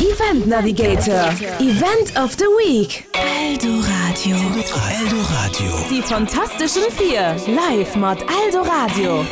Event Navigator, Event of the Week. Eldoradio. Eldoradio. Die fantasteschen Vier, live mat Eldoradio.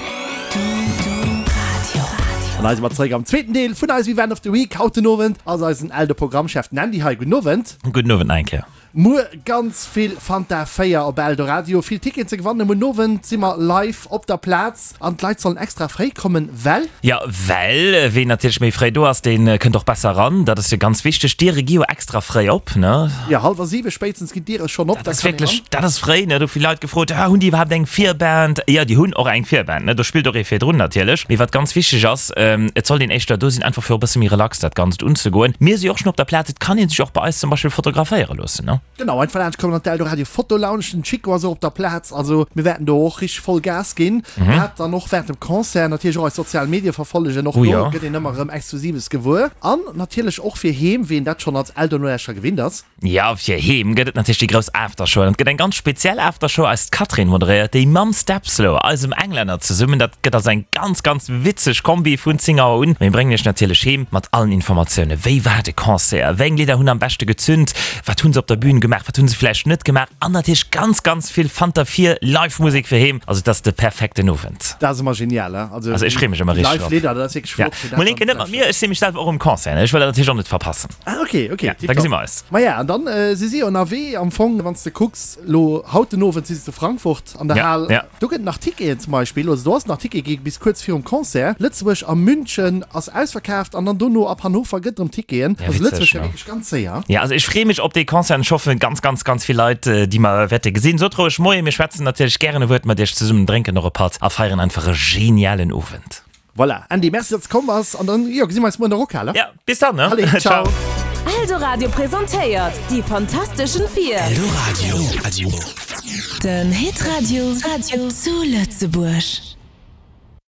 An hei si mer zeréck am zweeten Deel vun eisem Event of the Week. Haut den Owend ass eisen Eldo-Programmchef, den Andy, hei. Gudden Owend. Gudden Owend nach eng Kéier. Muer ganz vill Fanta 4 op Eldoradio, vill Ticketen ze gewannen. Muer Owend si mer live op der Plaz an d'Leit sollen extra fréi kommen, well. Jo, well ween natierlech méi fréi do ass, dee kënnt och besser eran. Dat ass jo ganz wichteg. D'Diere gi jo extra fréi op, ne? Jo, hallwer 7 spéitstens ginn d'Diere schonn op, da kann een eran. Dat ass fréi, ne? Do hu vill Leit gefrot, ah, hunn déi iwwerhaapt eng Virband? Jo, déi hunn och eng Virband, ne? Do spillt och ee virdrun natierlech. Mee wat ganz wichteg ass, Et sollt een éischter do sinn, einfach fir och e bësse méi relax dat Ganzt unzegoen. Mir si och schonn op der Plaz, et kann ee sech och bei eis zum Beispill fotograféiere loossen, ne? Genau, einfach laanscht kommen an d'Eldoradio Foto Lounge. Den Chico ass och op der Plaz, also mir wäerten do och richteg voll Gas ginn. Dat dann och wärend dem Concert. Natierlech och eis sozial Medie verfollegen, och do gëtt een ëmmer erëm Exklusives gewuer. An natierlech och fir heem, ween dat schonn als Eldo-Nolauschterer gewinnt ass. Jo, fir heem gëtt et natierlech déi grouss Aftershow. An et gëtt eng ganz speziell Aftershow, eist Catherine moderéiert déi mam Stepslow, eisem Englänner, zesummen. Dat gëtt also eng ganz, ganz witzeg Kombi vun 10 Auer un. Mir bréngen iech natierlech heem mat allen Informatiounen, Wéi war de Concert? Wéi eng Lidder hunn am beschte gezünt? Wat hu se op der Bün gemaach? Wat hu se vläicht net gemaach? An natierlech ganz, ganz vill Fanta 4 Live-Musek fir heem. Also et ass de perfekten Owend. Dat ass ëmmer genial, he? Also ech freeë mech ëmmer richteg drop. Live-Lidder, dat ass wierklech flott, fir dat Mol een Kéier net mat mir, ech si mech selwer och um Concert, ne? Ech wëll dat natierlech och net verpassen. Ah, okay, okay, Ja, da gesi mer eis. Maja, an dann äh, si si ënnerwee am Fong, wann s de kucks, lo haut den Owend si se zu Frankfurt an der Ja, Hal. ja. Do gëtt et nach Ticketen zum Beispill, also do ass nach Ticket gi bis kuerz virum Concert. Lëtzebuerg a München ass ausverkaaft an dann dono ab Hannover gëtt et erëm Ticketen. Ja, Also witzeg, Lëtzebuerg war ne? wierklech ganz séier. Ja, also ech freeë mech op dee Concert an ech hoffen ganz, ganz, ganz vill Leit, äh, déi mer wäerte gesinn. Sot roueg Moien, mir schwätzen natierlech gären e Wuert mat iech zesummen, drénken och e Patt a feieren einfach e genialen Owend. Voilà, Andy, merci datt s komm bass an dann, jo, gesi mer eis muer an der Rockhal, he? Ja, bis dann, ne? Allez, ciao! Eldoradio presentéiert déi fantasteschen 4. Eldoradio. Den Hitradio zu Lëtzebuerg.